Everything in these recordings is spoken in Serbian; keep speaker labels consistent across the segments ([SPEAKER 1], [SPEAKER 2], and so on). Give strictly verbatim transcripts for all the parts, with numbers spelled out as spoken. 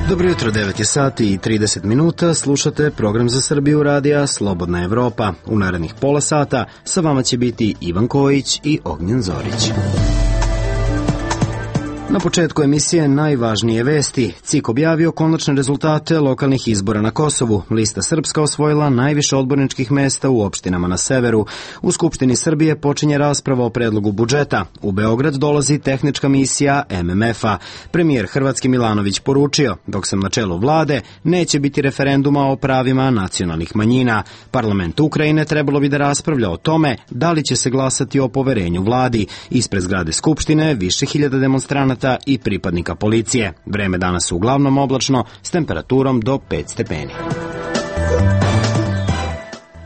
[SPEAKER 1] Dobro jutro, devet je sati i trideset minuta, slušate program za Srbiju radija Slobodna Evropa. U narednih pola sata sa vama će biti Ivan Kojić i Ognjen Zorić. Na početku emisije najvažnije vesti. C I K objavio konačne rezultate lokalnih izbora na Kosovu. Lista Srpska osvojila najviše odborničkih mesta u opštinama na severu. U Skupštini Srbije počinje rasprava o predlogu budžeta. U Beograd dolazi tehnička misija M M F-a. Premijer Hrvatski Milanović poručio, dok sam na čelu vlade, neće biti referenduma o pravima nacionalnih manjina. Parlament Ukrajine trebalo bi da raspravlja o tome da li će se glasati o poverenju vladi. Ispred zgrade Skupštine više hiljada demonstranata i pripadnika policije. Vreme danas uglavnom oblačno s temperaturom do pet stepeni.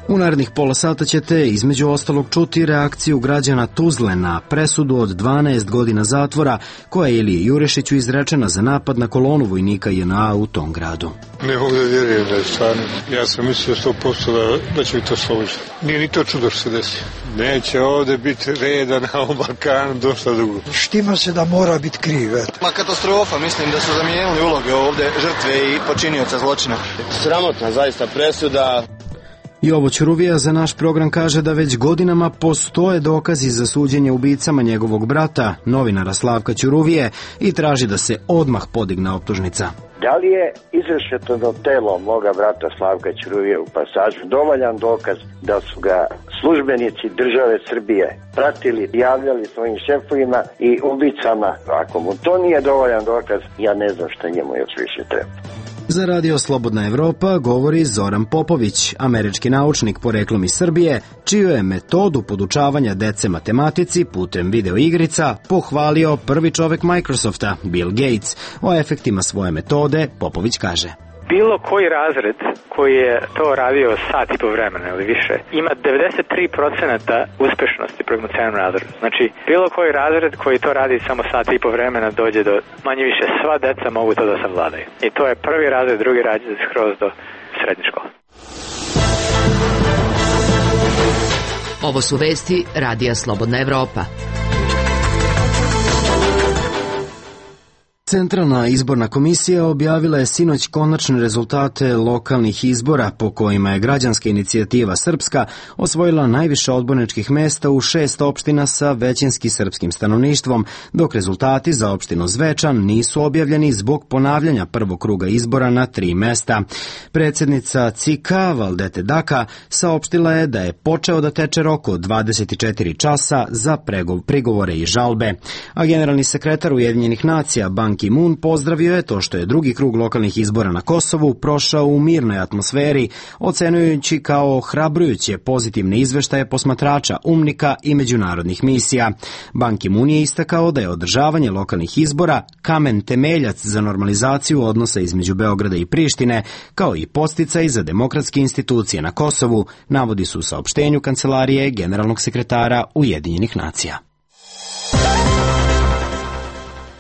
[SPEAKER 1] U narednih pola sata ćete između ostalog čuti reakciju građana Tuzle na presudu od dvanaest godina zatvora koja je Iliji Jurišiću izrečena za napad na kolonu vojnika J N A u tom gradu.
[SPEAKER 2] Ne mogu da vjerujem da je stvarno. Ja sam mislio sto posto da, da će mi to složiti. Nije ni to čudo što se desi. Neće ovde biti reda na ovom Balkanu dosta dugo.
[SPEAKER 3] Štima se da mora biti kriv, eto.
[SPEAKER 4] Ma katastrofa, mislim da su zamijenili uloge ovde žrtve i počinioca zločina.
[SPEAKER 5] Sramotna zaista presuda.
[SPEAKER 1] Jovo Ćuruvija za naš program kaže da već godinama postoje dokazi za suđenje ubicama njegovog brata, novinara Slavka Ćuruvije, i traži da se odmah podigne optužnica.
[SPEAKER 6] Da li je izrešetano telo moga brata Slavka Ćuruvije u Pasažu dovoljan dokaz da su ga službenici države Srbije pratili, javljali svojim šefovima i ubicama? Ako mu to nije dovoljan dokaz, ja ne znam šta njemu još više treba.
[SPEAKER 1] Za radio Slobodna Evropa govori Zoran Popović, američki naučnik poreklom iz Srbije, čiju je metodu podučavanja dece matematici putem videoigrica pohvalio prvi čovek Microsofta, Bill Gates. O efektima svoje metode Popović kaže:
[SPEAKER 7] bilo koji razred koji je to radio sat i po vremena ili više ima devedeset tri procenta uspešnosti prema celom razredu. Znači, bilo koji razred koji to radi samo sat i po vremena dođe do manje više sva deca mogu to da savladaju. I to je prvi razred, drugi razred skroz do srednje škole.
[SPEAKER 8] Ovo su vesti radija Slobodna Evropa.
[SPEAKER 1] Centralna izborna komisija objavila je sinoć konačne rezultate lokalnih izbora po kojima je građanska inicijativa Srpska osvojila najviše odborničkih mesta u šest opština sa većinski srpskim stanovništvom, dok rezultati za opštinu Zvečan nisu objavljeni zbog ponavljanja prvog kruga izbora na tri mesta. Predsjednica C I K-a Valdete Daka saopštila je da je počeo da teče rok od dvadeset četiri časa za prigovore i žalbe, a generalni sekretar Ujedinjenih nacija Ban Ki-moon pozdravio je to što je drugi krug lokalnih izbora na Kosovu prošao u mirnoj atmosferi, ocenujući kao hrabrujuće pozitivne izveštaje posmatrača, umnika i međunarodnih misija. Ban Ki-moon je istakao da je održavanje lokalnih izbora kamen temeljac za normalizaciju odnosa između Beograda i Prištine, kao i podsticaj za demokratske institucije na Kosovu, navodi se u saopštenju kancelarije generalnog sekretara Ujedinjenih nacija.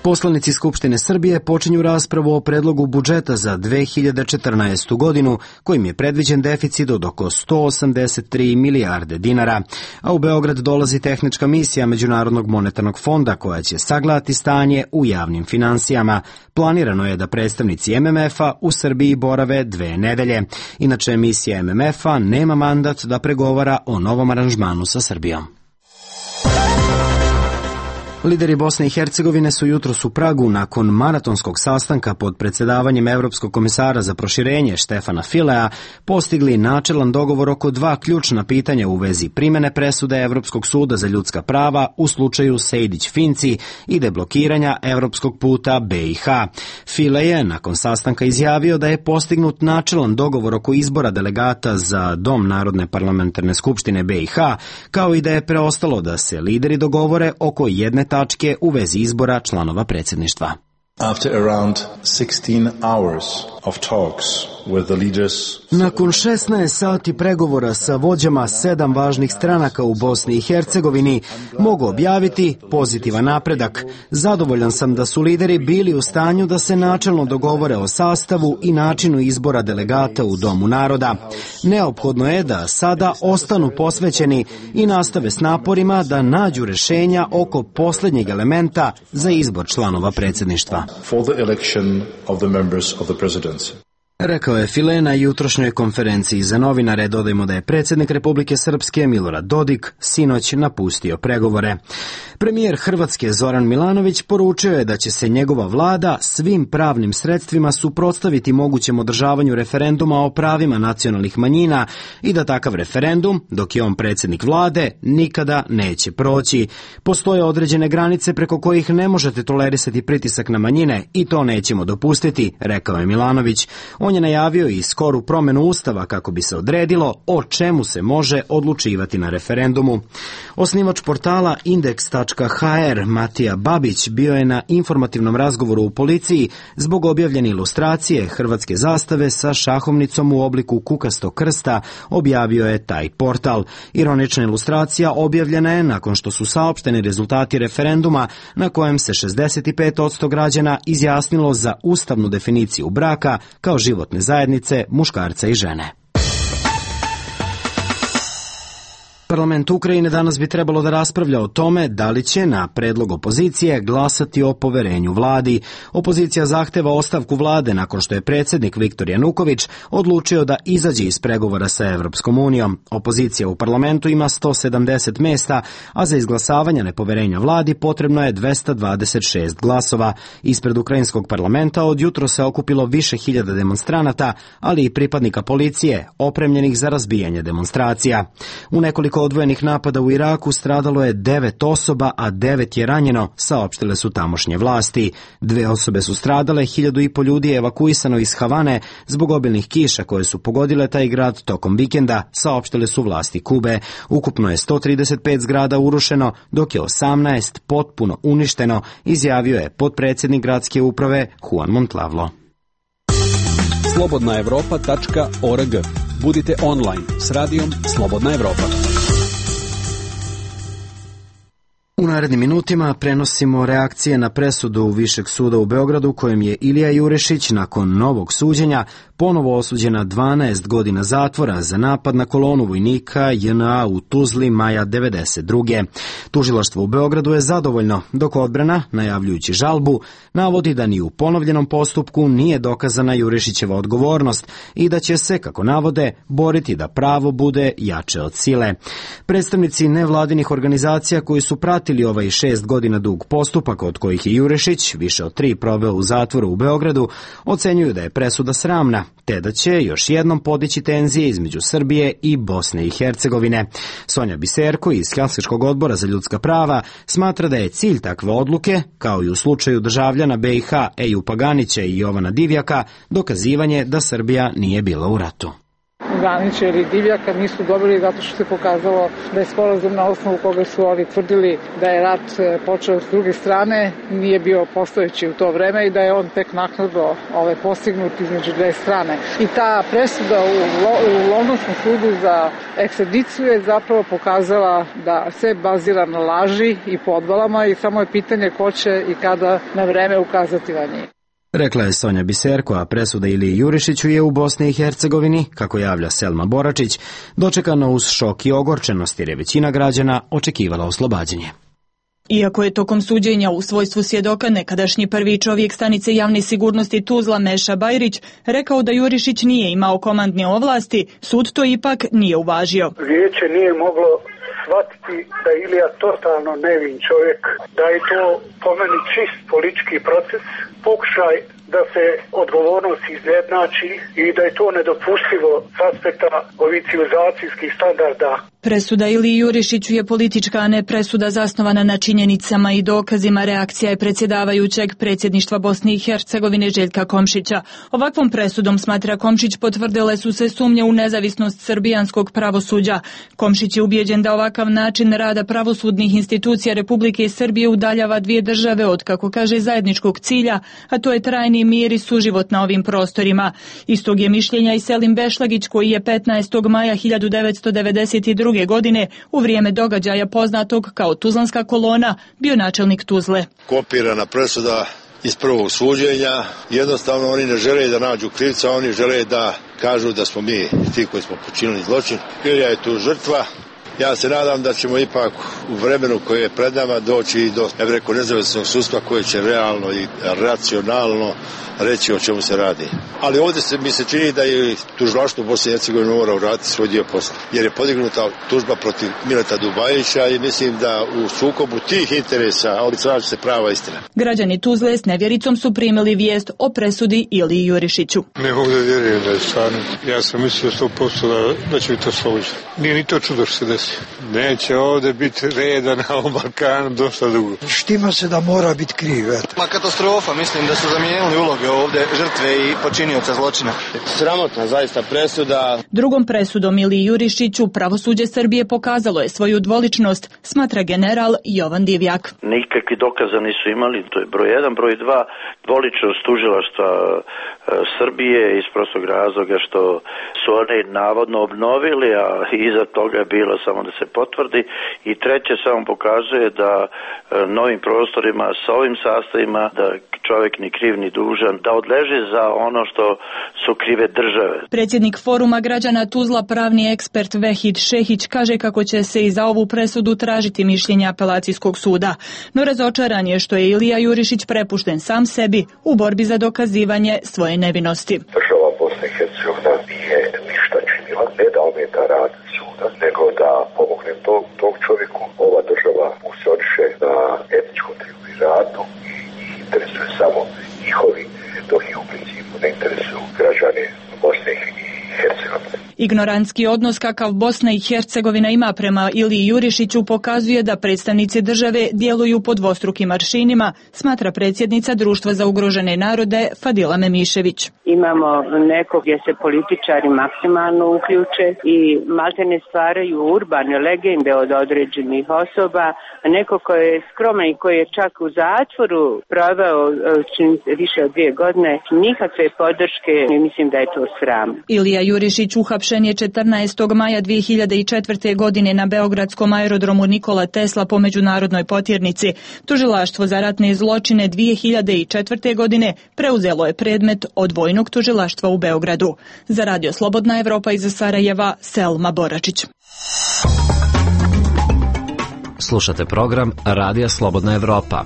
[SPEAKER 1] Poslanici Skupštine Srbije počinju raspravu o predlogu budžeta za dve hiljade četrnaestu. godinu, kojim je predviđen deficit od oko sto osamdeset tri milijarde dinara, a u Beograd dolazi tehnička misija Međunarodnog monetarnog fonda koja će sagledati stanje u javnim finansijama. Planirano je da predstavnici M M F-a u Srbiji borave dve nedelje. Inače, misija M M F-a nema mandat da pregovara o novom aranžmanu sa Srbijom. Lideri Bosne i Hercegovine su jutros u Pragu nakon maratonskog sastanka pod predsjedavanjem Evropskog komisara za proširenje Štefana Filea postigli načelan dogovor oko dva ključna pitanja u vezi primene presude Evropskog suda za ljudska prava u slučaju Sejdić-Finci i deblokiranja evropskog puta B i H. File je nakon sastanka izjavio da je postignut načelan dogovor oko izbora delegata za Dom Narodne parlamentarne skupštine B i H, kao i da je preostalo da se lideri dogovore oko jedne tačke u vezi izbora članova predsjedništva.
[SPEAKER 9] After around sixteen hours of talks with the leaders.
[SPEAKER 1] Nakon šesnaest sati pregovora sa vođama sedam važnih stranaka u Bosni i Hercegovini mogu objaviti pozitivan napredak. Zadovoljan sam da su lideri bili u stanju da se načelno dogovore o sastavu i načinu izbora delegata u Domu naroda. Neophodno je da sada ostanu posvećeni i nastave s naporima da nađu rešenja oko posljednjeg elementa za izbor članova predsjedništva.
[SPEAKER 9] For the election of the members of the presidency.
[SPEAKER 1] Rekao je File na jutrošnjoj konferenciji za novinare. Dodajmo da je predsjednik Republike Srpske Milorad Dodik sinoć napustio pregovore. Premijer Hrvatske Zoran Milanović poručio je da će se njegova vlada svim pravnim sredstvima suprotstaviti mogućem održavanju referenduma o pravima nacionalnih manjina i da takav referendum, dok je on predsjednik vlade, nikada neće proći. Postoje određene granice preko kojih ne možete tolerisati pritisak na manjine i to nećemo dopustiti, rekao je Milanović. On je najavio i skoru promjenu Ustava kako bi se odredilo o čemu se može odlučivati na referendumu. Osnivač portala indeks tačka ha er Matija Babić bio je na informativnom razgovoru u policiji zbog objavljene ilustracije hrvatske zastave sa šahovnicom u obliku kukastog krsta, objavio je taj portal. Ironična ilustracija objavljena je nakon što su saopšteni rezultati referenduma na kojem se šezdeset pet posto građana izjasnilo za ustavnu definiciju braka kao životne zajednice muškarca i žene. Parlament Ukrajine danas bi trebalo da raspravlja o tome da li će na predlog opozicije glasati o poverenju vladi. Opozicija zahteva ostavku vlade nakon što je predsjednik Viktor Januković odlučio da izađe iz pregovora sa Evropskom unijom. Opozicija u parlamentu ima sto sedamdeset mesta, a za izglasavanje nepoverenja vladi potrebno je dvesta dvadeset šest glasova. Ispred ukrajinskog parlamenta od jutro se okupilo više hiljada demonstranata, ali i pripadnika policije opremljenih za razbijanje demonstracija. U nekoliko odvojenih napada u Iraku stradalo je devet osoba, a devet je ranjeno, saopštile su tamošnje vlasti. Dve osobe su stradale, hiljadu i po ljudi je evakuisano iz Havane zbog obilnih kiša koje su pogodile taj grad tokom vikenda, saopštile su vlasti Kube. Ukupno je sto trideset pet zgrada urušeno, dok je osamnaest potpuno uništeno, izjavio je potpredsjednik gradske uprave Juan Montlavlo.
[SPEAKER 10] slobodna evropa tačka org. Budite online s radijom Slobodna Evropa.
[SPEAKER 1] U narednim minutima prenosimo reakcije na presudu Višeg suda u Beogradu kojem je Ilija Jurišić nakon novog suđenja ponovo osuđena dvanaest godina zatvora za napad na kolonu vojnika J N A u Tuzli maja devedeset druge. Tužilaštvo u Beogradu je zadovoljno, dok odbrana, najavljujući žalbu, navodi da ni u ponovljenom postupku nije dokazana Jurišićeva odgovornost i da će se, kako navode, boriti da pravo bude jače od sile. Predstavnici nevladinih organizacija koji su pratili ovaj šest godina dug postupak od kojih je Jurišić više od tri proveo u zatvoru u Beogradu, ocenjuju da je presuda sramna, te da će još jednom podići tenzije između Srbije i Bosne i Hercegovine. Sonja Biserko iz Helsinškog odbora za ljudska prava smatra da je cilj takve odluke, kao i u slučaju državljana B i H Eju Paganića i Jovana Divjaka, dokazivanje da Srbija nije bila u ratu.
[SPEAKER 11] Ganića ili Divjaka nisu dobili zato što se pokazalo da je sporazum na osnovu koga su oni tvrdili da je rat počeo s druge strane nije bio postojeći u to vreme i da je on tek naknadno ovaj, postignut između dve strane. I ta presuda u, u Londonskom sudu za ekstradiciju je zapravo pokazala da se bazira na laži i podvalama i samo je pitanje ko će i kada na vreme ukazati na njih.
[SPEAKER 1] Rekla je Sonja Biserko, a presuda Iliji Jurišiću je u Bosni i Hercegovini, kako javlja Selma Boračić, dočekano uz šok i ogorčenost jer je većina građana očekivala oslobađanje.
[SPEAKER 12] Iako je tokom suđenja u svojstvu svjedoka nekadašnji prvi čovjek stanice javne sigurnosti Tuzla Meša Bajrić rekao da Jurišić nije imao komandne ovlasti, sud to ipak nije uvažio.
[SPEAKER 13] Vijeće nije moglo shvatiti da je Ilija totalno nevin čovjek, da je to po meni čist politički proces, pokušaj da se odgovornost izjednači i da je to nedopustivo s aspekta ovih civilizacijskih standarda.
[SPEAKER 12] Presuda Iliji Jurišiću je politička, a ne presuda zasnovana na činjenicama i dokazima. Reakcija je predsjedavajućeg predsjedništva Bosne i Hercegovine Željka Komšića. Ovakvom presudom, smatra Komšić, potvrdile su se sumnje u nezavisnost srbijanskog pravosuđa. Komšić je ubijeđen da ovakav način rada pravosudnih institucija Republike Srbije udaljava dvije države od, kako kaže, zajedničkog cilja, a to je trajni očuvani mir i suživot na ovim prostorima. Istog je mišljenja i Selim Bešlagić, koji je petnaestog maja hiljadu devetsto devedeset druge. godine u vrijeme događaja poznatog kao Tuzlanska kolona bio načelnik Tuzle.
[SPEAKER 14] Kopirana presuda iz prvog suđenja, jednostavno oni ne žele da nađu krivca, oni žele da kažu da smo mi ti koji smo počinili zločin. Ilija je tu žrtva. Ja se nadam da ćemo ipak u vremenu koje je pred nama doći i do, ja bih rekao, nezavisnog sudstva koje će realno i racionalno reći o čemu se radi. Ali ovdje se, mi se čini da je tužilaštvo Bosne i Hercegovine mora uraditi svoj dio posla, jer je podignuta tužba protiv Mileta Dubajića i mislim da u sukobu tih interesa odličaće se prava istina.
[SPEAKER 12] Građani Tuzle s nevjericom su primili vijest o presudi Iliji Jurišiću.
[SPEAKER 2] Ne mogu da vjerujem da je stvarno. Ja sam mislio sto posto da, da će biti oslobođen. Nije ni to čudo što se desi. Neće ovdje biti reda na ovom Balkanu dosta dugo.
[SPEAKER 3] Štima se da mora biti kriv, eto.
[SPEAKER 4] Ma katastrofa, mislim da su zamijenili uloge ovdje žrtve i počinioca zločina.
[SPEAKER 5] Sramotna zaista presuda.
[SPEAKER 12] Drugom presudom Iliji Jurišiću pravosuđe Srbije pokazalo je svoju dvoličnost, smatra general Jovan Divjak.
[SPEAKER 15] Nikakvi dokaza nisu imali, to je broj jedan. Broj dva, dvoličnost tužilaštva Srbije iz prostog razloga što su oni navodno obnovili, a iza toga je bilo samo da se potvrdi. I treće, samo pokazuje da novim prostorima sa ovim sastavima da čovjek ni kriv ni dužan, da odleži za ono što su krive države.
[SPEAKER 12] Predsjednik Foruma građana Tuzla, pravni ekspert Vehid Šehić, kaže kako će se i za ovu presudu tražiti mišljenje apelacijskog suda. No razočaran je što je Ilija Jurišić prepušten sam sebi u borbi za dokazivanje svoje nevinosti.
[SPEAKER 16] Država Bosne i Hercegovina nije ništa činila, ne da ometa rad suda, nego da pomogne tog, tog čovjeku. Ova država funkcioniše na etničkom triumviratu i interesuje samo njihovi, dok ih u principu ne interesuju građane Bosne i Hercegovine.
[SPEAKER 12] Ignorantski odnos kakav Bosna i Hercegovina ima prema Iliji Jurišiću pokazuje da predstavnici države djeluju po dvostrukim aršinima, smatra predsjednica Društva za ugrožene narode Fadila Memišević.
[SPEAKER 17] Imamo neko gdje se političari maksimalno uključe i maltene stvaraju urbane legende od određenih osoba, a neko koji je skroman i koji je čak u zatvoru proveo više od dvije godine, nikakve podrške, mislim da je to sram.
[SPEAKER 12] Ilija Jurišić uhapšen je četrnaestog maja dvije hiljade četvrte. godine na beogradskom aerodromu Nikola Tesla po međunarodnoj potjernici. Tužilaštvo za ratne zločine dvije hiljade četvrte. godine preuzelo je predmet od vojnog tužilaštva u Beogradu. Za Radio Slobodna Evropa iz Sarajeva, Selma Boračić.
[SPEAKER 18] Slušate program Radija Slobodna Evropa.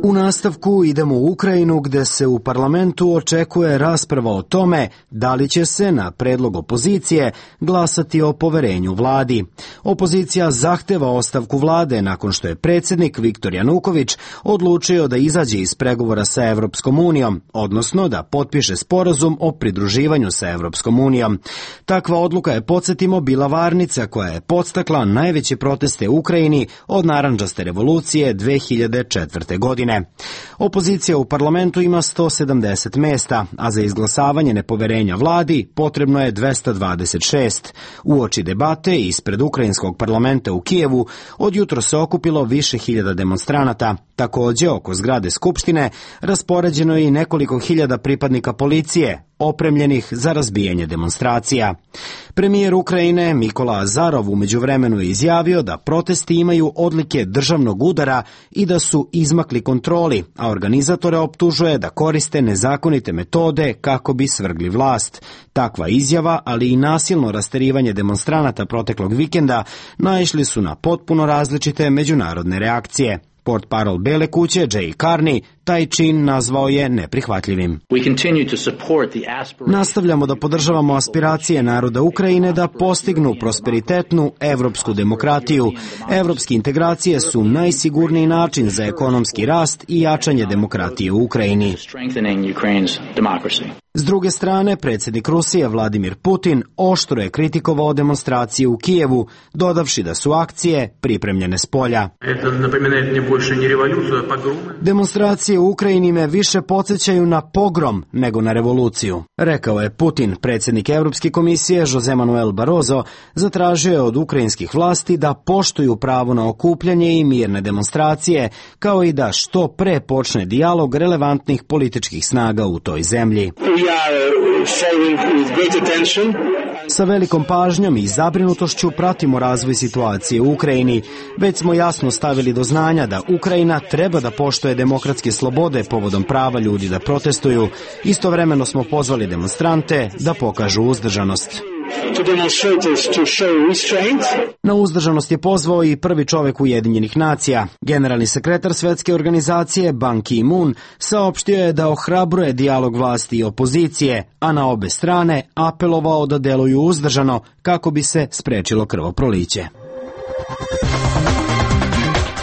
[SPEAKER 1] U nastavku idemo u Ukrajinu, gde se u parlamentu očekuje rasprava o tome da li će se na predlog opozicije glasati o poverenju vladi. Opozicija zahteva ostavku vlade nakon što je predsjednik Viktor Januković odlučio da izađe iz pregovora sa Evropskom unijom, odnosno da potpiše sporazum o pridruživanju sa Evropskom unijom. Takva odluka je, podsjetimo, bila varnica koja je podstakla najveće proteste u Ukrajini od narandžaste revolucije dve hiljade četvrte. godine. Opozicija u parlamentu ima sto sedamdeset mesta, a za izglasavanje nepoverenja vladi potrebno je dvesta dvadeset šest. Uoči debate ispred ukrajinskog parlamenta u Kijevu od jutro se okupilo više hiljada demonstranata. Također, oko zgrade Skupštine raspoređeno je i nekoliko hiljada pripadnika policije, opremljenih za razbijanje demonstracija. Premijer Ukrajine Mikola Azarov u međuvremenu je izjavio da protesti imaju odlike državnog udara i da su izmakli kontroli, a organizatore optužuje da koriste nezakonite metode kako bi svrgli vlast. Takva izjava, ali i nasilno rasterivanje demonstranata proteklog vikenda naišli su na potpuno različite međunarodne reakcije. Portparol Bele kuće Jay Carney taj čin nazvao je neprihvatljivim. Nastavljamo da podržavamo aspiracije naroda Ukrajine da postignu prosperitetnu evropsku demokratiju. Evropske integracije su najsigurniji način za ekonomski rast i jačanje demokratije u Ukrajini. S druge strane, predsjednik Rusije Vladimir Putin oštro je kritikovao demonstracije u Kijevu, dodavši da su akcije pripremljene s polja. Demonstracije demonstracije u Ukrajini me više podsjećaju na pogrom nego na revoluciju, rekao je Putin. Predsjednik Evropske komisije Jose Manuel Barroso zatražio je od ukrajinskih vlasti da poštuju pravo na okupljanje i mirne demonstracije, kao i da što pre počne dijalog relevantnih političkih snaga u toj zemlji. Sa velikom pažnjom i zabrinutošću pratimo razvoj situacije u Ukrajini. Već smo jasno stavili do znanja da Ukrajina treba da poštuje demokratske slobode povodom prava ljudi da protestuju. Istovremeno smo pozvali demonstrante da pokažu uzdržanost. Na uzdržanost je pozvao i prvi čovek Ujedinjenih nacija. Generalni sekretar Svetske organizacije Ban Ki-moon saopštio je da ohrabruje dijalog vlasti i opozicije, a na obe strane apelovao da deluju uzdržano kako bi se sprečilo krvoproliće.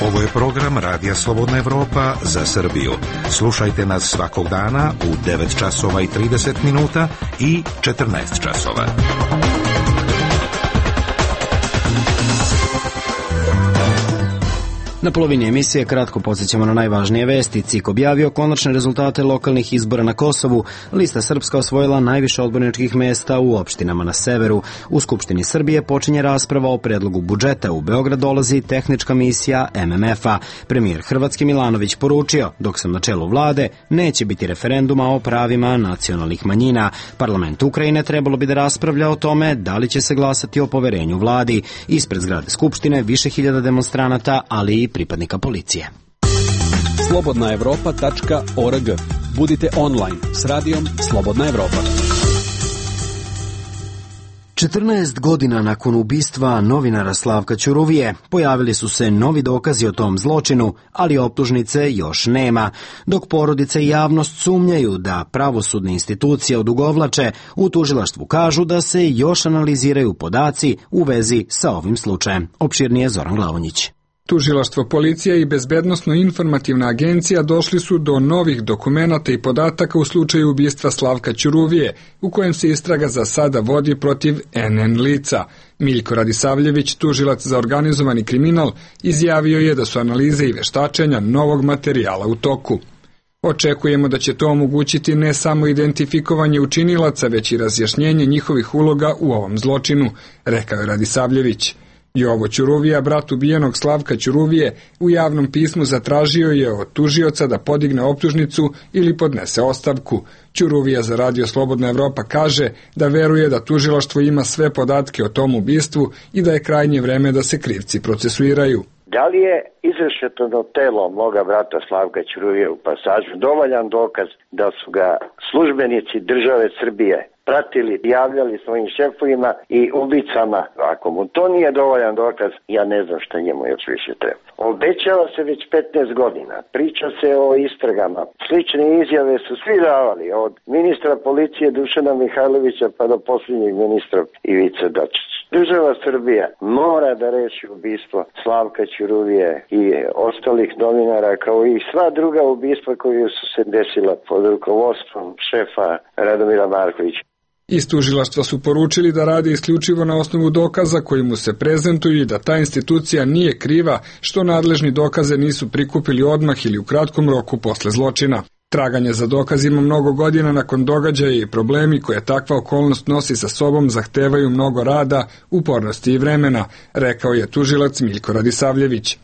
[SPEAKER 19] Ovo je program Radija Slobodna Evropa za Srbiju. Slušajte nas svakog dana u devet časova i trideset minuta i četrnaest časova.
[SPEAKER 1] Na polovini emisije kratko podsjećamo na najvažnije vesti. C I K objavio konačne rezultate lokalnih izbora na Kosovu. Lista Srpska osvojila najviše odborničkih mesta u opštinama na severu. U Skupštini Srbije počinje rasprava o predlogu budžeta. U Beograd dolazi tehnička misija M M F-a. Premijer Hrvatski Milanović poručio, dok sam na čelu vlade, neće biti referenduma o pravima nacionalnih manjina. Parlament Ukrajine trebalo bi da raspravlja o tome da li će se glasati o poverenju vladi. Ispred zgrade Skupštine više hiljada demonstranata, ali i pripadnika policije.
[SPEAKER 10] slobodna evropa tačka org. Budite online s radijom Slobodna Evropa.
[SPEAKER 1] četrnaest godina nakon ubistva novinara Slavka Ćuruvije pojavili su se novi dokazi o tom zločinu, ali optužnice još nema. Dok porodice i javnost sumnjaju da pravosudne institucije odugovlače, u tužilaštvu kažu da se još analiziraju podaci u vezi sa ovim slučajem. Opširnije Zoran Glavonjić.
[SPEAKER 20] Tužilaštvo, policija i Bezbednosno-informativna agencija došli su do novih dokumenata i podataka u slučaju ubistva Slavka Ćuruvije, u kojem se istraga za sada vodi protiv N N lica. Miljko Radisavljević, tužilac za organizovani kriminal, izjavio je da su analize i veštačenja novog materijala u toku. Očekujemo da će to omogućiti ne samo identifikovanje učinilaca, već i razjašnjenje njihovih uloga u ovom zločinu, rekao je Radisavljević. Jovo Ćuruvija, brat ubijenog Slavka Ćuruvije, u javnom pismu zatražio je od tužioca da podigne optužnicu ili podnese ostavku. Ćuruvija za Radio Slobodna Evropa kaže da veruje da tužilaštvo ima sve podatke o tom ubistvu i da je krajnje vreme da se krivci procesuiraju.
[SPEAKER 6] Da li je izrešetano telo moga brata Slavka Ćuruvije u Pasažu dovoljan dokaz da su ga službenici države Srbije pratili, javljali svojim šefovima i ubicama? Ako mu to nije dovoljan dokaz, ja ne znam šta njemu još više treba. Obećava se već petnaest godina, priča se o istragama. Slične izjave su svi davali, od ministra policije Dušana Mihajlovića pa do posljednjeg ministra Ivice Dačića. Država Srbija mora da reši ubistvo Slavka Ćuruvije i ostalih novinara, kao i sva druga ubistva koja su se desila pod rukovodstvom šefa Radomira Markovića.
[SPEAKER 20] Iz tužilaštva su poručili da rade isključivo na osnovu dokaza koji mu se prezentuju i da ta institucija nije kriva što nadležni dokaze nisu prikupili odmah ili u kratkom roku posle zločina. Traganje za dokazima mnogo godina nakon događaja i problemi koje takva okolnost nosi sa sobom zahtevaju mnogo rada, upornosti i vremena, rekao je tužilac Miljko Radisavljević.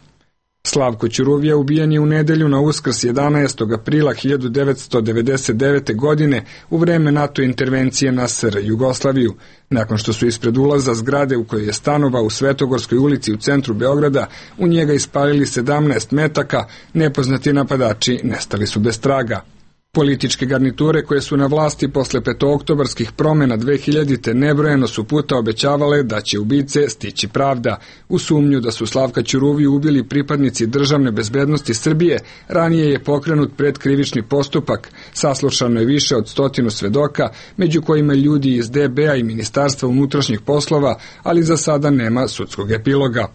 [SPEAKER 20] Slavko Ćuruvija ubijen je u nedelju na Uskrs jedanaestog aprila hiljadu devetsto devedeset devete. godine u vreme NATO intervencije na S R Jugoslaviju. Nakon što su ispred ulaza zgrade u kojoj je stanovao u Svetogorskoj ulici u centru Beograda u njega ispalili sedamnaest metaka, nepoznati napadači nestali su bez traga. Političke garniture koje su na vlasti posle petooktobarskih promjena dve hiljadite. nebrojeno su puta obećavale da će ubice stići pravda. U sumnju da su Slavka Ćuruviju ubili pripadnici državne bezbednosti Srbije, ranije je pokrenut predkrivični postupak. Saslušano je više od stotinu svedoka, među kojima ljudi iz D B-a i Ministarstva unutrašnjih poslova, ali za sada nema sudskog epiloga.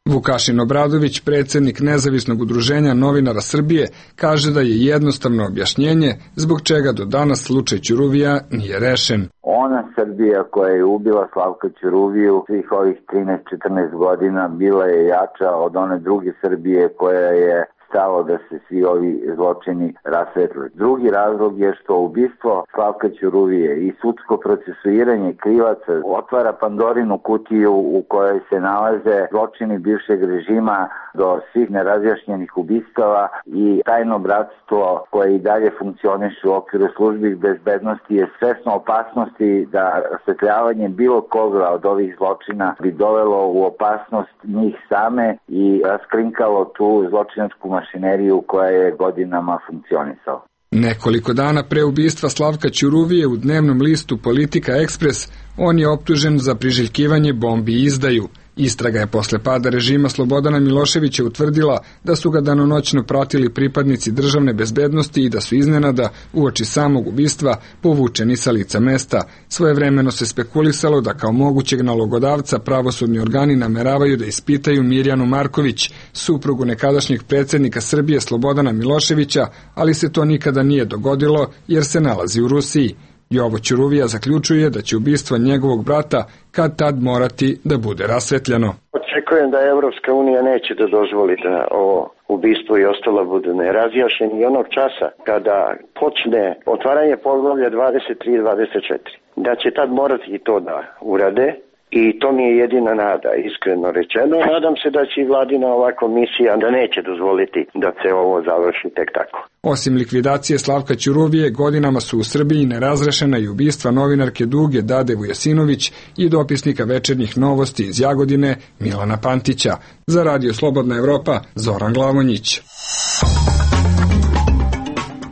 [SPEAKER 20] Vukašin Obradović, predsjednik Nezavisnog udruženja novinara Srbije, kaže da je jednostavno objašnjenje zbog čega do danas slučaj Ćuruvija nije rešen.
[SPEAKER 21] Ona Srbija koja je ubila Slavka Ćuruviju svih ovih trinaest četrnaest godina bila je jača od one druge Srbije koja je stalo da se svi ovi zločini rasvetle. Drugi razlog je što ubistvo Slavka Ćuruvije i sudsko procesuiranje krivaca otvara Pandorinu kutiju u kojoj se nalaze zločini bivšeg režima do svih nerazjašnjenih ubistava i tajno bratstvo koje i dalje funkcioniše u okviru službi bezbednosti je svesno opasnosti da rasvetljavanje bilo koga od ovih zločina bi dovelo u opasnost njih same i raskrinkalo tu zločinačku mašineriju koja je godinama funkcionisala.
[SPEAKER 20] Nekoliko dana pre ubistva Slavka Ćuruvije u dnevnom listu Politika Ekspres on je optužen za priželjkivanje bombi i izdaju. Istraga je posle pada režima Slobodana Miloševića utvrdila da su ga danonoćno pratili pripadnici državne bezbednosti i da su iznenada, uoči samog ubistva, povučeni sa lica mesta. Svojevremeno se spekulisalo da kao mogućeg nalogodavca pravosudni organi nameravaju da ispitaju Mirjanu Marković, suprugu nekadašnjeg predsjednika Srbije Slobodana Miloševića, ali se to nikada nije dogodilo jer se nalazi u Rusiji. Jovo Ćuruvija zaključuje da će ubistvo njegovog brata kad tad morati da bude rasvetljeno.
[SPEAKER 6] Očekujem da Evropska unija neće da dozvoli da ovo ubistvo i ostalo budu nerazjašnjeni i onog časa kada počne otvaranje poglavlja dvadeset tri i dvadeset četiri. Da će tad morati i to da urade. I to mi je jedina nada, iskreno rečeno. Nadam se da će i vladina ova komisija da neće dozvoliti da se ovo završi tek tako.
[SPEAKER 20] Osim likvidacije Slavka Ćuruvije, godinama su u Srbiji nerazrešena i ubistva novinarke Duge Dade Vujasinović i dopisnika Večernjih novosti iz Jagodine Milana Pantića. Za Radio Slobodna Evropa, Zoran Glavonjić.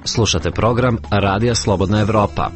[SPEAKER 18] Slušate program Radija Slobodna Evropa.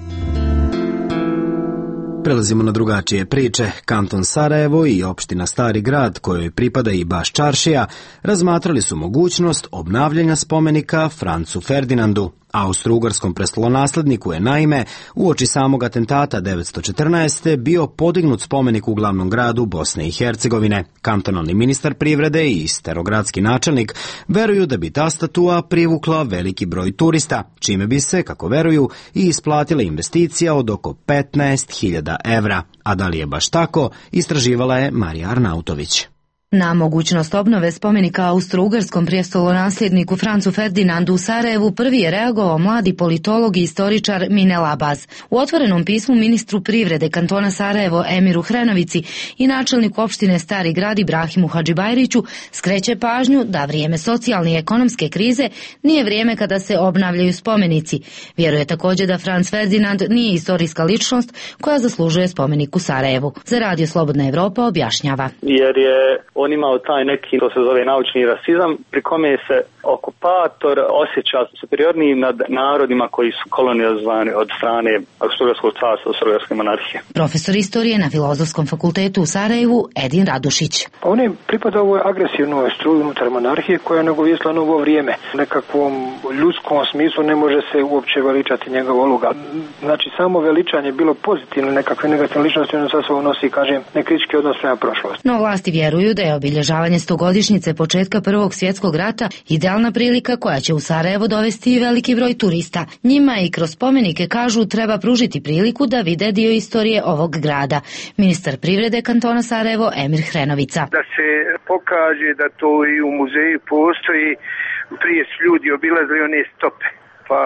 [SPEAKER 1] Prelazimo na drugačije priče. Kanton Sarajevo i opština Stari grad, kojoj pripada i Baš Čaršija, razmatrali su mogućnost obnavljanja spomenika Francu Ferdinandu. Austro-ugarskom prestolonasledniku je naime uoči samog atentata devetsto četrnaeste. bio podignut spomenik u glavnom gradu Bosne i Hercegovine. Kantonalni ministar privrede i starogradski načelnik veruju da bi ta statua privukla veliki broj turista, čime bi se, kako veruju, i isplatila investicija od oko petnaest hiljada evra. A da li je baš tako, istraživala je Marija Arnautović.
[SPEAKER 7] Na mogućnost obnove spomenika austro-ugarskom prijestolonasljedniku Francu Ferdinandu u Sarajevu prvi je reagovao mladi politolog i istoričar Minel Abaz. U otvorenom pismu ministru privrede kantona Sarajevo Emiru Hrenovici i načelniku opštine Stari grad Ibrahimu Hadžibajriću skreće pažnju da vrijeme socijalne i ekonomske krize nije vrijeme kada se obnavljaju spomenici. Vjeruje također da Franc Ferdinand nije istorijska ličnost koja zaslužuje spomenik u Sarajevu. Za Radio Slobodna Evropa objašnjava.
[SPEAKER 22] Jer je on imao taj neki, to se zove naučni rasizam, pri kome se okupator osjeća superiorniji nad narodima koji su kolonizovani od strane Austro-ugarskog carstva, Austro-ugarske monarhije.
[SPEAKER 7] Profesor istorije na Filozofskom fakultetu u Sarajevu Edin Radušić.
[SPEAKER 23] On je pripadao ovoj agresivnoj struji unutar monarhije koja je nagovijestila novo vrijeme. U nekakvom ljudskom smislu ne može se uopće veličati njegova uloga. Znači samo veličanje bilo pozitivno, nekakve negativne ličnosti, ono sa sobom nosi, kažem, nekritički odnos prema prošlosti.
[SPEAKER 7] No vlasti vjeruju da je obilježavanje stogodišnjice početka Prvog svjetskog rata idealna prilika koja će u Sarajevo dovesti i veliki broj turista. Njima i kroz spomenike, kažu, treba pružiti priliku da vide dio istorije ovog grada. Ministar privrede kantona Sarajevo Emir Hrenovica.
[SPEAKER 24] Da se pokaže da to i u muzeju postoji, prije su ljudi obilazili one stope, pa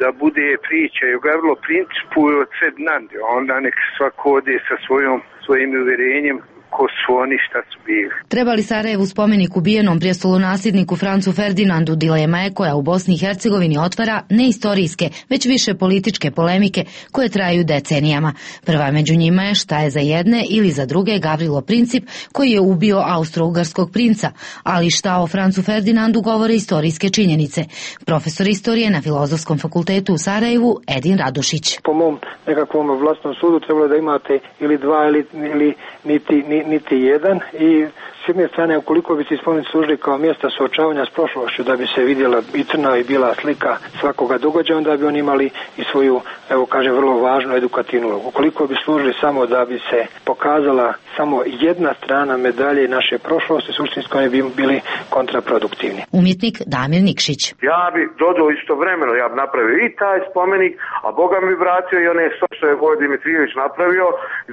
[SPEAKER 24] da bude priča i o Gavrilo principu i od Ferdinande, onda nek svako ode sa svojom, svojim uvjerenjem ko su oni, šta su bili.
[SPEAKER 7] Treba li Sarajevu spomenik ubijenom prijestolonasljedniku Francu Ferdinandu dilema je koja u Bosni i Hercegovini otvara ne istorijske, već više političke polemike koje traju decenijama. Prva među njima je šta je za jedne ili za druge Gavrilo Princip koji je ubio austro-ugarskog princa, ali šta o Francu Ferdinandu govore istorijske činjenice. Profesor istorije na Filozofskom fakultetu u Sarajevu Edin Radušić.
[SPEAKER 23] Po mom nekakvom vlastnom sudu trebalo da imate ili dva ili, ili niti, niti niti jedan i s jedne strane ukoliko bi se spomenici služili kao mjesta suočavanja s prošlošću da bi se vidjela i crna i bila slika svakoga događaja, onda bi oni imali i svoju, evo kažem, vrlo važnu edukativnu ulogu. Ukoliko bi služili samo da bi se pokazala samo jedna strana medalje naše prošlosti, suštinski oni bi bili kontraproduktivni.
[SPEAKER 7] Umjetnik Damir Nikšić.
[SPEAKER 25] Ja bi dodao istovremeno, ja bi napravio i taj spomenik, a Boga mi vratio i one što je Vojin Dimitrijević napravio,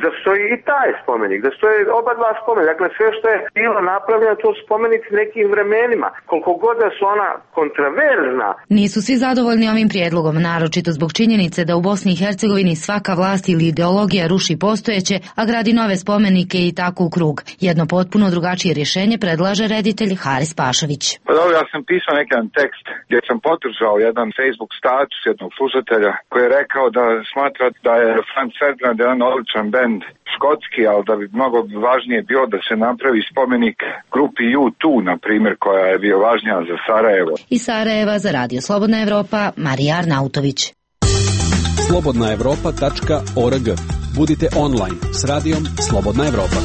[SPEAKER 25] da stoji i taj spomenik, da stoji oba dva spomenika, dakle sve što je bila napravljena, to spomenici nekim vremenima. Koliko god da su ona kontraverzna.
[SPEAKER 7] Nisu svi zadovoljni ovim prijedlogom, naročito zbog činjenice da u Bosni i Hercegovini svaka vlast ili ideologija ruši postojeće, a gradi nove spomenike i tako u krug. Jedno potpuno drugačije rješenje predlaže reditelj Haris Pašović.
[SPEAKER 8] Pa dobro, ja sam pisao neki tekst gdje sam podržao jedan Facebook status jednog slušatelja koji je rekao da smatra da je Franz Ferdinand jedan odličan bend škotski, ali da bi mnogo važnije bilo da se napravi spomenik grupi U dva, na primjer, koja je bio važnija za Sarajevo.
[SPEAKER 7] Iz Sarajeva za Radio Slobodna Evropa, Marija Arnautović.
[SPEAKER 10] slobodna evropa tačka org. Budite online s radijom Slobodna Evropa.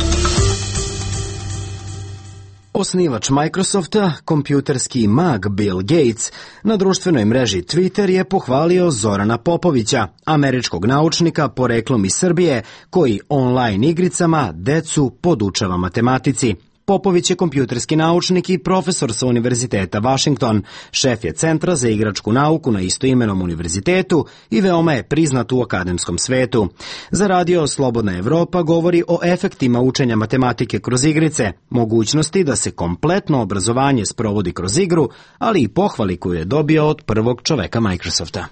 [SPEAKER 1] Osnivač Microsofta, kompjuterski mag Bill Gates, na društvenoj mreži Twitter je pohvalio Zorana Popovića, američkog naučnika poreklom iz Srbije, koji online igricama decu podučava matematici. Popović je kompjuterski naučnik i profesor sa Univerziteta Washington, šef je Centra za igračku nauku na istoimenom univerzitetu i veoma je priznat u akademskom svetu. Za Radio Slobodna Evropa govori o efektima učenja matematike kroz igrice, mogućnosti da se kompletno obrazovanje sprovodi kroz igru, ali i pohvali koju je dobio od prvog čoveka Microsofta.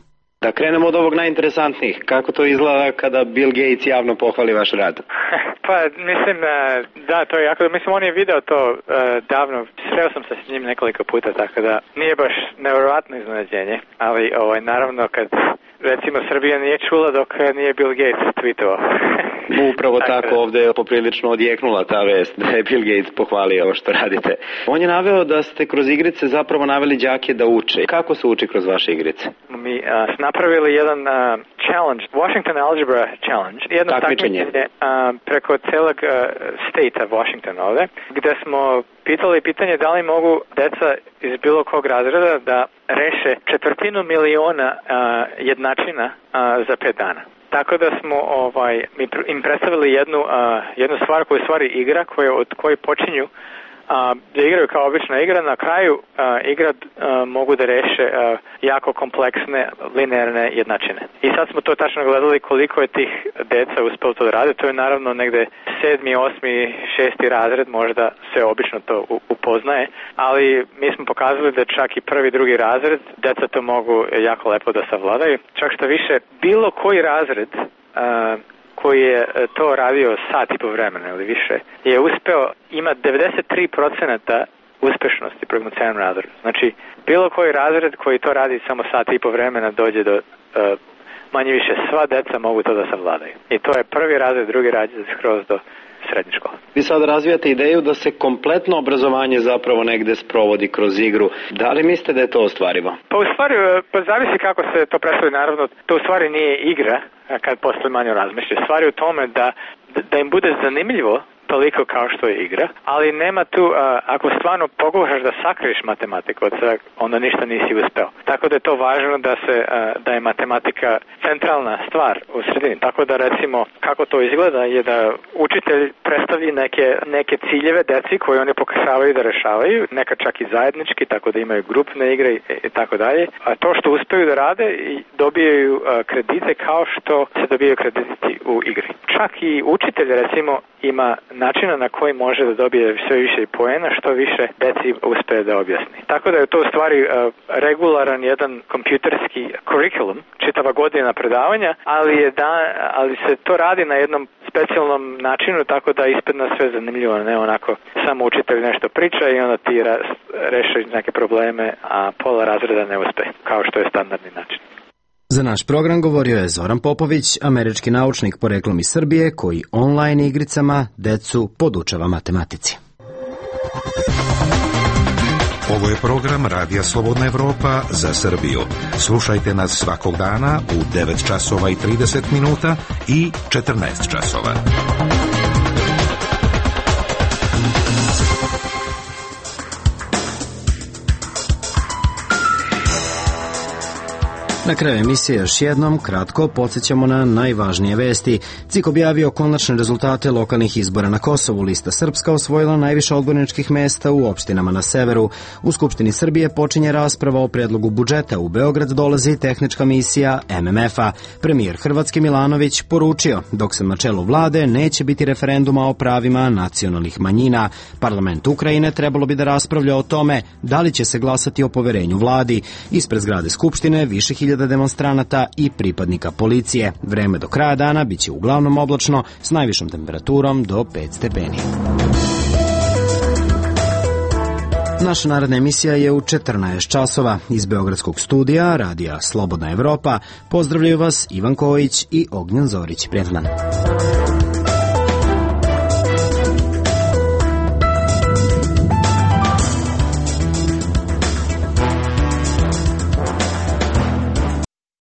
[SPEAKER 9] Da krenemo od ovog najinteresantnijih. Kako to izgleda kada Bill Gates javno pohvali vaš rad?
[SPEAKER 11] Pa, mislim, da, to je jako, mislim, on je video to uh, davno, sreo sam se s njim nekoliko puta, tako da nije baš nevjerojatno iznenađenje, ali ovaj, naravno kad, recimo, Srbija nije čula dok nije Bill Gates tweetovao.
[SPEAKER 9] Upravo tako, ovdje je poprilično odjeknula ta vest da je Bill Gates pohvalio ovo što radite. On je naveo da ste kroz igrice zapravo naveli đake da uče. Kako se uči kroz vaše igrice?
[SPEAKER 11] Mi uh, smo napravili jedan uh, challenge, Washington Algebra Challenge, jedno takmičenje uh, preko celog uh, state Washington ovde, gde smo pitali pitanje da li mogu deca iz bilo kog razreda da reše četvrtinu miliona uh, jednačina uh, za pet dana. Tako da smo ovaj, im predstavili jednu, uh, jednu stvar koja je stvari igra koje, od koje počinju uh, da igraju kao obična igra. Na kraju uh, igra uh, mogu da reše uh, jako kompleksne linearne jednačine. I sad smo to tačno gledali koliko je tih deca uspelo to da rade. To je naravno negde sedmi, osmi, šesti razred, možda se obično to upoznaje, ali mi smo pokazali da čak i prvi, drugi razred deca to mogu jako lepo da savladaju. Čak što više, bilo koji razred uh, koji je to radio sat i po vremena ili više, je uspeo, ima devedeset tri procenta uspešnosti prema celom razredu. Znači, bilo koji razred koji to radi samo sat i po vremena dođe do, uh, manje više sva deca mogu to da savladaju. I to je prvi razred, drugi razred skroz do srednje škole.
[SPEAKER 9] Vi sad razvijate ideju da se kompletno obrazovanje zapravo negde sprovodi kroz igru. Da li mislite da je to ostvarivo?
[SPEAKER 11] Pa u stvari, pa zavisi kako se to predstavi, naravno, to u stvari nije igra kad posle manje razmišlja. Stvari u tome da, da im bude zanimljivo toliko kao što je igra, ali nema tu, uh, ako stvarno pokušaš da sakriješ matematiku od svega, onda ništa nisi uspeo. Tako da je to važno da se uh, da je matematika centralna stvar u sredini. Tako da recimo kako to izgleda je da učitelj predstavi neke, neke ciljeve deci koje oni pokušavaju da rešavaju, neka čak i zajednički, tako da imaju grupne igre i, i tako dalje. A to što uspeju da rade dobijaju uh, kredite kao što se dobijaju krediti u igri. Čak i učitelj recimo ima načina na koji može da dobije sve više poena, što više deci uspe da objasni. Tako da je to u stvari uh, regularan jedan kompjuterski kurikulum, čitava godina predavanja, ali, je da, ali se to radi na jednom specijalnom načinu, tako da ispadne sve zanimljivo, ne onako samo učitelj nešto priča i onda ti reši neke probleme, a pola razreda ne uspe, kao što je standardni način.
[SPEAKER 1] Za naš program govorio je Zoran Popović, američki naučnik poreklom iz Srbije, koji online igricama decu podučava matematici.
[SPEAKER 19] Ovo je program Radija Slobodna Evropa za Srbiju. Slušajte nas svakog dana u devet časova i trideset minuta i četrnaest časova.
[SPEAKER 1] Na kraju emisije još jednom kratko podsjećamo na najvažnije vesti. C I K objavio konačne rezultate lokalnih izbora na Kosovu. Lista Srpska osvojila najviše odborničkih mesta u opštinama na severu. U Skupštini Srbije počinje rasprava o predlogu budžeta. U Beograd dolazi tehnička misija M M F-a. Premijer Hrvatske Milanović poručio, dok sam na čelu vlade neće biti referenduma o pravima nacionalnih manjina. Parlament Ukrajine trebalo bi da raspravlja o tome da li će se glasati o poverenju vladi. Ispred zgrade Skupštine više hiljada demonstranata i pripadnika policije. Vreme do kraja dana biće uglavnom oblačno s najvišom temperaturom do pet stepeni. Naša naredna emisija je u četrnaest časova. Iz Beogradskog studija Radija Slobodna Evropa pozdravljaju vas Ivan Kojić i Ognjen Zorić. Prijetan dan.